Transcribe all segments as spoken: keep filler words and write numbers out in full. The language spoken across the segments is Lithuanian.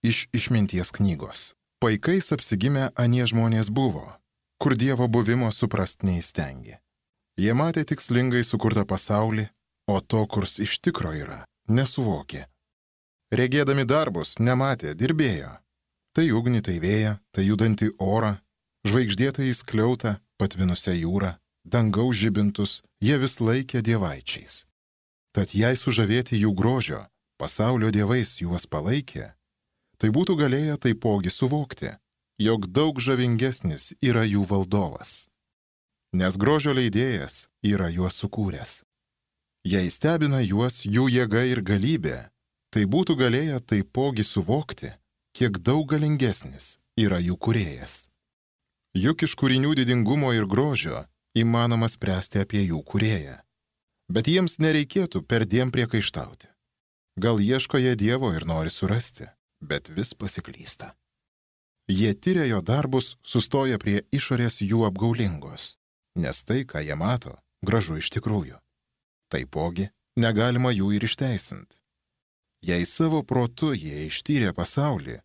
Iš išminties knygos. Paikais apsigimę anie žmonės buvo, kur Dievo buvimo suprast neįstengė. Jie matė tikslingai sukurtą pasaulį, o to, kurs iš tikro yra, nesuvokė. Regėdami darbus, nematė, dirbėjo. Tai ugnį, tai vėją, tai judantį orą, žvaigždėtą įskliautą, patvinusią jūrą, dangaus žibintus, jie vis laikė dievaičiais. Tad jei sužavėti jų grožio, pasaulio dievais juos palaikė, tai būtų galėję taipogi suvokti, jog daug žavingesnis yra jų valdovas. Nes grožio leidėjas yra juos sukūręs. Jei stebina juos jų jėga ir galybė, tai būtų galėję taipogi suvokti, kiek daug galingesnis yra jų kūrėjas. Juk iš kūrinių didingumo ir grožio įmanoma spręsti apie jų kūrėją. Bet jiems nereikėtų perdėm priekaištauti. Gal ieško jie Dievo ir nori surasti, bet vis pasiklysta. Jie tyria jo darbus, sustoja prie išorės jų apgaulingos, nes tai, ką jie mato, gražu iš tikrųjų. Taipogi negalima jų ir išteisinti. Jei savo protu jie ištyrė pasaulį,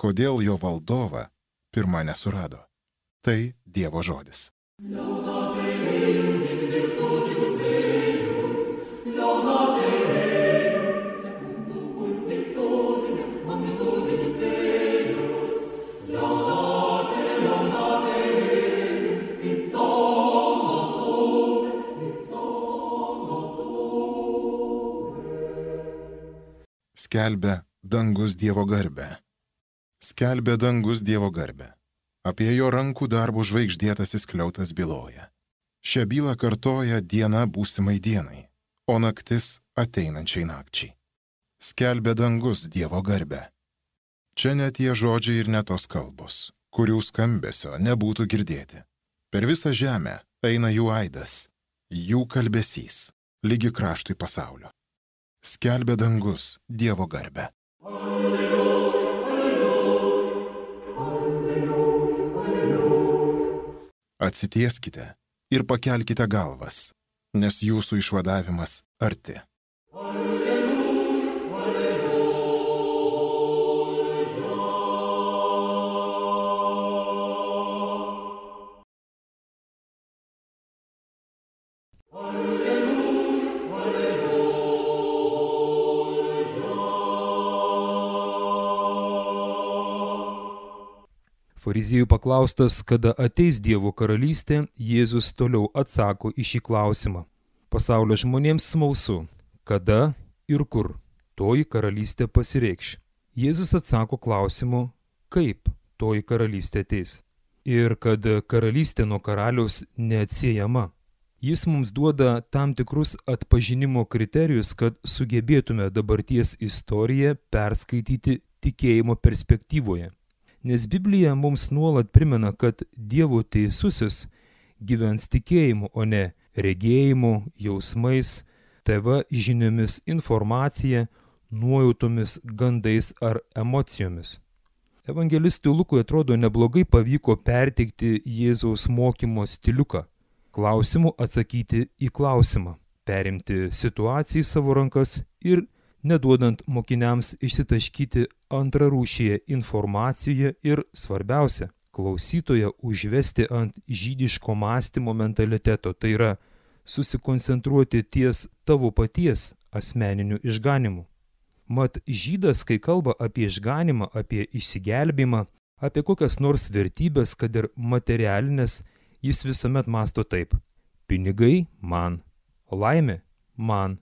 kodėl jo valdovą pirma nesurado? Tai Dievo žodis. Skelbia dangus Dievo garbę. Skelbia dangus Dievo garbę. Apie jo rankų darbų žvaigždėtasis skliautas byloja. Šią bylą kartoja diena būsimai dienai, o naktis ateinančiai nakčiai. Skelbia dangus Dievo garbę. Čia ne tie žodžiai ir ne tos kalbos, kurių skambesio nebūtų girdėti. Per visą žemę eina jų aidas, jų kalbesys, lygi kraštui pasaulio. Skelbia dangus Dievo garbę. Atsitieskite ir pakelkite galvas, nes jūsų išvadavimas arti. Fariziejų paklaustas, kada ateis Dievo karalystė, Jėzus toliau atsako į šį klausimą. Pasaulio žmonėms smalsu, kada ir kur toji karalystė pasireikš. Jėzus atsako klausimu, kaip toji karalystė ateis. Ir kad karalystė nuo karaliaus neatsiejama. Jis mums duoda tam tikrus atpažinimo kriterijus, kad sugebėtume dabarties istoriją perskaityti tikėjimo perspektyvoje. Nes Biblija mums nuolat primena, kad Dievo teisusis gyvens tikėjimu, o ne regėjimu, jausmais, T V žiniomis, informacija, nuojautomis, gandais ar emocijomis. Evangelistui Lukui atrodo neblogai pavyko perteikti Jėzaus mokymo stiliuką, klausimu atsakyti į klausimą, perimti situaciją į savo rankas ir neduodant mokiniams išsitaškyti antrarūšėje informacijoje ir, svarbiausia, klausytoją užvesti ant žydiško mąstymo mentaliteto, tai yra susikoncentruoti ties tavo paties asmeniniu išganimu. Mat žydas, kai kalba apie išganimą, apie išsigelbėjimą, apie kokias nors vertybės, kad ir materialinės, jis visuomet mąsto taip: pinigai man, laimė man,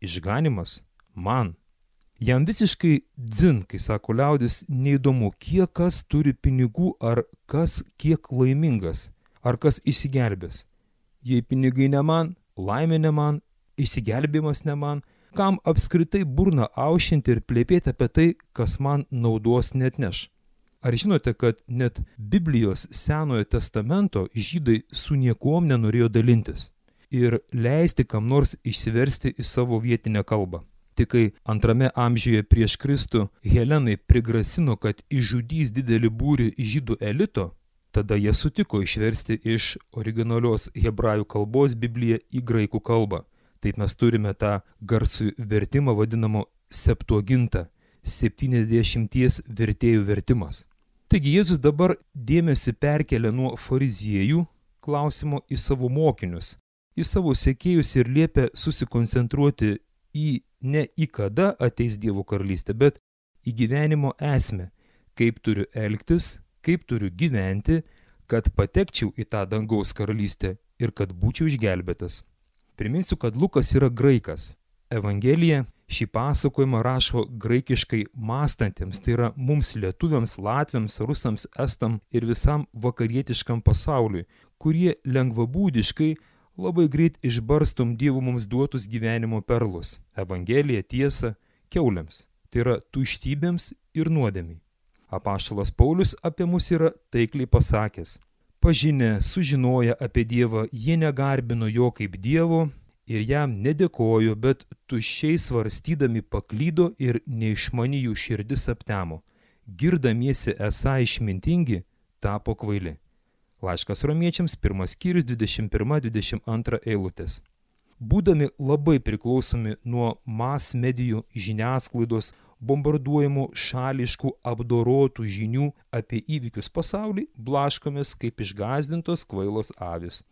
išganimas man. Jam visiškai dzin, kai sako liaudis, neįdomu, kiek kas turi pinigų, ar kas kiek laimingas, ar kas išsigelbės. Jei pinigai ne man, laimė ne man, išsigelbėjimas ne man, kam apskritai burną aušinti ir plėpėti apie tai, kas man naudos neatneš. Ar žinote, kad net Biblijos Senojo testamento žydai su niekuom nenorėjo dalintis ir leisti kam nors išsiversti į savo vietinę kalbą? Tik kai antrame amžiuje prieš Kristų Helenai prigrasino, kad išžudys didelį būrį žydų elito, tada jie sutiko išversti iš originalios hebrajų kalbos Bibliją į graikų kalbą. Taip mes turime tą garsų vertimą vadinamo Septuagintą, septyniasdešimties vertėjų vertimas. Taigi Jėzus dabar dėmesį perkelia nuo fariziejų klausimo į savo mokinius, į savo sekėjus ir liepia susikoncentruoti į ne į kada ateis Dievo karalystė, bet į gyvenimo esmę, kaip turiu elgtis, kaip turiu gyventi, kad patekčiau į tą dangaus karalystę ir kad būčiau išgelbėtas. Priminsiu, kad Lukas yra graikas. Evangelija šį pasakojimą rašo graikiškai mąstantiems, tai yra mums lietuviams, latviams, rusams, estam ir visam vakarietiškam pasauliui, kurie lengvabūdiškai labai greit išbarstom Dievo mums duotus gyvenimo perlus. Evangelija tiesa kiauliams, tai yra tuštybėms ir nuodėmiai. Apaštalas Paulius apie mus yra taikliai pasakęs: pažinę, sužinoję apie Dievą, jie negarbino jo kaip Dievo ir jam nedėkojo, bet tuščiai svarstydami paklydo ir neišmani jų širdis aptemo. Girdamiesi esą išmintingi, tapo kvaili. Laiškas Romiečiams, pirmas skyrius, dvidešimt pirma dvidešimt antra eilutės. Būdami labai priklausomi nuo mas medijų žiniasklaidos, bombarduojamų šališkų apdorotų žinių apie įvykius pasaulį, blaškomės kaip išgąsdintos kvailos avys.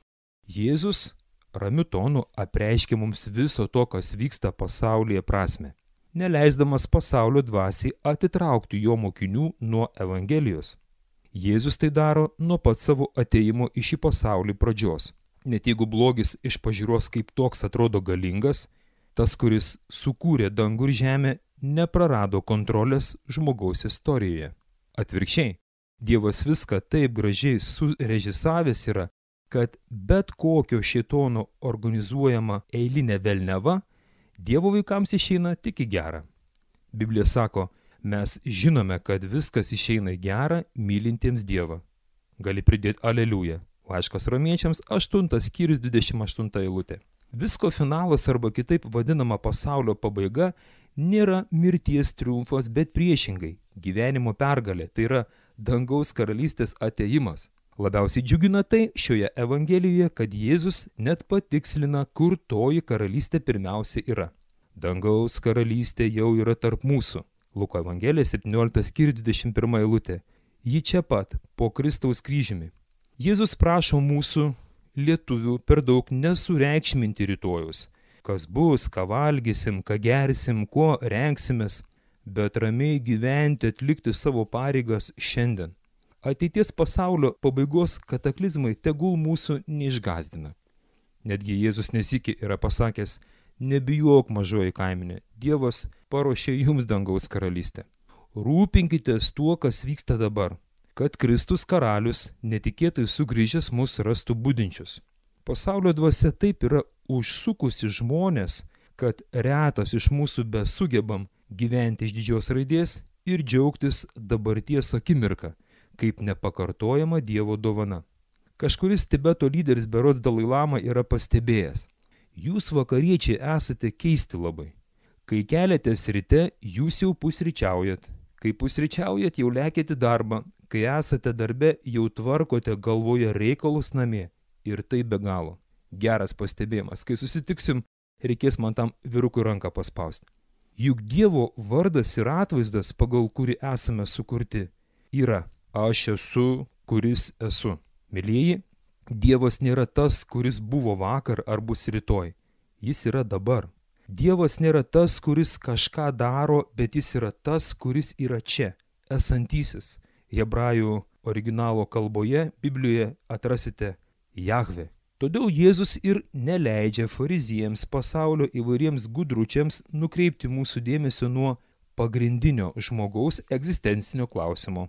Jėzus ramiu tonu apreiškė mums viso to, kas vyksta pasaulyje prasme, neleisdamas pasaulio dvasiai atitraukti jo mokinių nuo Evangelijos. Jėzus tai daro nuo pat savo atėjimo į šį pasaulį pradžios. Net jeigu blogis iš pažiūros kaip toks atrodo galingas, tas, kuris sukūrė dangų ir žemę, neprarado kontrolės žmogaus istorijoje. Atvirkščiai, Dievas viską taip gražiai surežisavęs yra, kad bet kokio šėtono organizuojama eilinė velneva Dievo vaikams išeina tik į gerą. Biblija sako, mes žinome, kad viskas išeina į gerą mylintiems Dievą. Gali pridėti aleliuja. Laiškas Romiečiams, aštuntas skyrius, dvidešimt aštunta eilutė. Visko finalas arba kitaip vadinama pasaulio pabaiga nėra mirties triumfas, bet priešingai gyvenimo pergalė, tai yra dangaus karalystės atėjimas. Labiausiai džiugina tai šioje Evangelijoje, kad Jėzus net patikslina, kur toji karalystė pirmiausia yra. Dangaus karalystė jau yra tarp mūsų. Luko Evangelija, septynioliktas skyrius, dvidešimt pirma eilutė. Ji čia pat, po Kristaus kryžiumi. Jėzus prašo mūsų, lietuvių, per daug nesureikšminti rytojus. Kas bus, ką valgysim, ką gersim, kuo rengsimės, bet ramiai gyventi, atlikti savo pareigas šiandien. Ateities pasaulio pabaigos kataklizmai tegul mūsų neišgąsdina. Netgi Jėzus nesyki yra pasakęs, nebijok mažoji kaimenė, Dievas paruošė jums dangaus karalystę. Rūpinkitės tuo, kas vyksta dabar, kad Kristus karalius netikėtai sugrįžęs mus rastų budinčius. Pasaulio dvasia taip yra užsukusi žmonės, kad retas iš mūsų besugebam gyventi iš didžios raidės ir džiaugtis dabarties akimirką, kaip nepakartojama Dievo dovana. Kažkuris Tibeto lyderis berods Dalai Lama yra pastebėjęs. Jūs vakariečiai esate keisti labai. Kai keliatės ryte, jūs jau pusryčiaujat. Kai pusryčiaujat, jau lekėte darbą. Kai esate darbe, jau tvarkote galvoje reikalus namie. Ir tai be galo. Geras pastebėjimas. Kai susitiksim, reikės man tam vyrukui ranką paspausti. Juk Dievo vardas ir atvaizdas, pagal kurį esame sukurti, yra aš esu, kuris esu. Mylieji, Dievas nėra tas, kuris buvo vakar ar bus rytoj. Jis yra dabar. Dievas nėra tas, kuris kažką daro, bet jis yra tas, kuris yra čia, esantysis. Hebrajų originalo kalboje, Biblijoje atrasite Jahve. Todėl Jėzus ir neleidžia fariziejams, pasaulio įvairiems gudručiams nukreipti mūsų dėmesio nuo pagrindinio žmogaus egzistencinio klausimo.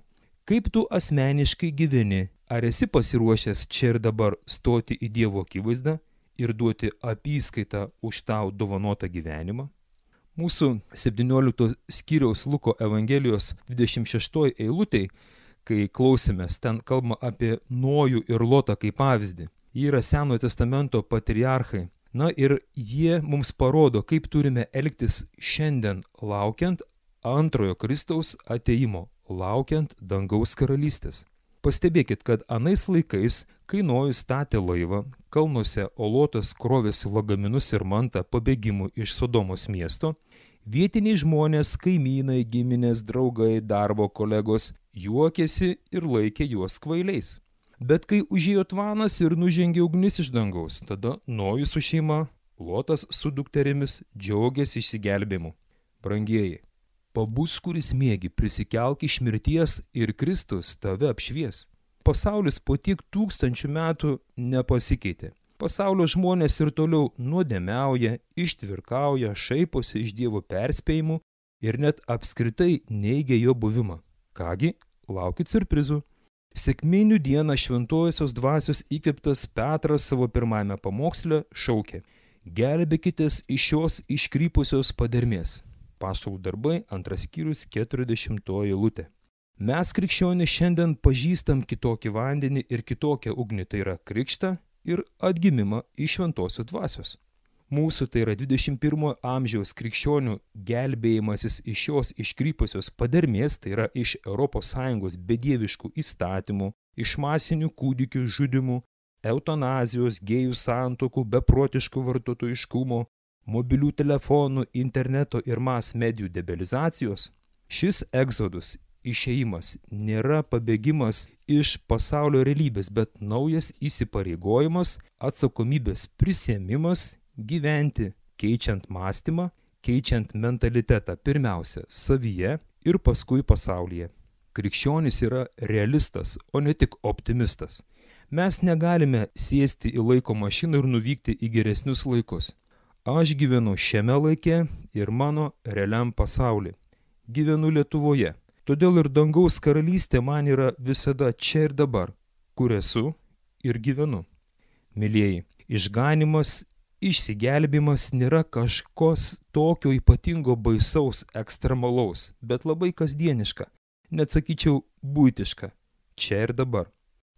Kaip tu asmeniškai gyveni? Ar esi pasiruošęs čia ir dabar stoti į Dievo akivaizdą ir duoti apyskaitą už tau dovanotą gyvenimą? Mūsų septyniolikto skyriaus Luko Evangelijos dvidešimt šeštoj eilutėj, kai klausėmės, ten kalbama apie Nojų ir Lotą kaip pavyzdį. Jie yra Senojo testamento patriarchai. Na ir jie mums parodo, kaip turime elgtis šiandien, laukiant antrojo Kristaus atėjimo, laukiant dangaus karalystės. Pastebėkit, kad anais laikais, kai Nojus statė laivą, kalnuose, o Lotas krovėsi lagaminus ir mantą pabėgimų iš Sodomos miesto, Vietiniai žmonės, kaimynai, giminės, draugai, darbo kolegos juokėsi ir laikė juos kvailiais. Bet kai užėjo tvanas ir nužengė ugnis iš dangaus, tada Nojus su šeima, Lotas su dukterimis džiaugiasi išsigelbėjimu. Brangieji, pabus, kuris miegi, prisikelk iš mirties ir Kristus tave apšvies. Pasaulis po tiek tūkstančių metų nepasikeitė. Pasaulio žmonės ir toliau nuodėmiauja, ištvirkauja, šaiposi iš Dievo perspėjimų ir net apskritai neigia jo buvimą. Kągi, laukit siurprizų. Sekminių dieną šventojosios dvasios įkvėptas Petras savo pirmajame pamoksle šaukė: gelbėkitės iš šios iškrypusios padermės. Apaštalų darbai, antras skyrius, keturiasdešimtoji eilutė. Mes krikščionys šiandien pažįstam kitokį vandenį ir kitokią ugnį, tai yra krikštą ir atgimimą iš šventosios dvasios. Mūsų, tai yra dvidešimt pirmojo amžiaus krikščionių gelbėjimasis iš šios iškrypusios padermės, tai yra iš Europos Sąjungos bedieviškų įstatymų, iš masinių kūdikių žudimų, eutanazijos, gėjų santuokų, beprotiškų vartotojiškumo, mobilių telefonų, interneto ir mas medijų debelizacijos. Šis egzodus, išėjimas, nėra pabėgimas iš pasaulio realybės, bet naujas įsipareigojimas, atsakomybės prisiėmimas gyventi, keičiant mąstymą, keičiant mentalitetą pirmiausia savyje ir paskui pasaulyje. Krikščionis yra realistas, o ne tik optimistas. Mes negalime sėsti į laiko mašiną ir nuvykti į geresnius laikus. Aš gyvenu šiame laike ir mano realiam pasauly. Gyvenu Lietuvoje. Todėl ir dangaus karalystė man yra visada čia ir dabar, kur esu ir gyvenu. Mylieji, išganimas, išsigelbimas nėra kažkos tokio ypatingo baisaus, ekstremalaus, bet labai kasdieniška, net sakyčiau buitiška, čia ir dabar.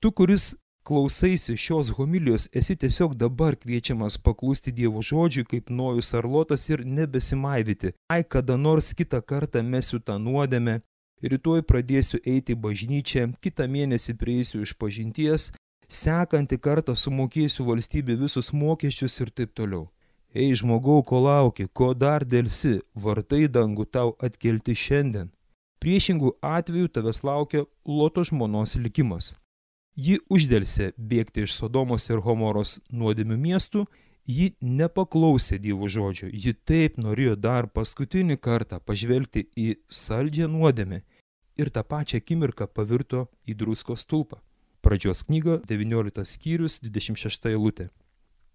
Tu, kuris klausaisi šios homilijos, esi tiesiog dabar kviečiamas paklusti Dievo žodžiui kaip Nojus ar Lotas ir nebesimaivyti. Ai, kada nors kitą kartą mesiu tą nuodėmę, rytoj pradėsiu eiti į bažnyčią, kitą mėnesį prieisiu iš pažinties, sekantį kartą sumokėsiu valstybė visus mokesčius ir taip toliau. Ei, žmogau, ko lauki, ko dar dėlsi, vartai dangų tau atkelti šiandien. Priešingų atveju tavęs laukia Loto žmonos likimas. Ji uždelsė bėgti iš Sodomos ir Homoros nuodėmių miestų, ji nepaklausė Dievo žodžio, ji taip norėjo dar paskutinį kartą pažvelgti į saldžią nuodėmę ir tą pačią akimirką pavirto į druskos stulpą. Pradžios knyga, devynioliktas skyrius, dvidešimt šešta eilutė.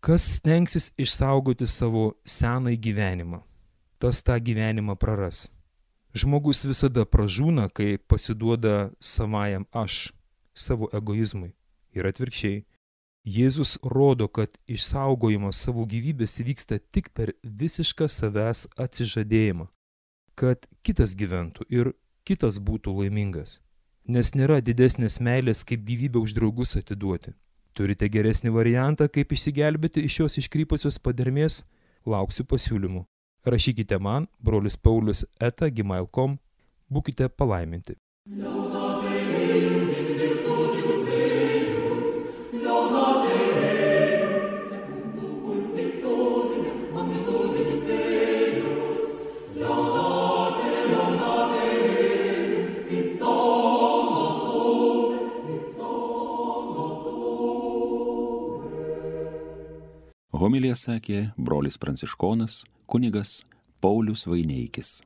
Kas stengsis išsaugoti savo senąjį gyvenimą, tas tą gyvenimą praras. Žmogus visada pražūna, kai pasiduoda savajam aš, savo egoizmui. Ir atvirkščiai, Jėzus rodo, kad išsaugojimas savo gyvybės vyksta tik per visišką savęs atsižadėjimą, kad kitas gyventų ir kitas būtų laimingas. Nes nėra didesnės meilės, kaip gyvybę už draugus atiduoti. Turite geresnį variantą, kaip išsigelbėti iš šios iškrypusios padermės? Lauksiu pasiūlymų. Rašykite man, brolis Paulius eta gmail taškas com, būkite palaiminti. Homiliją sakė brolis pranciškonas kunigas Paulius Vaineikis.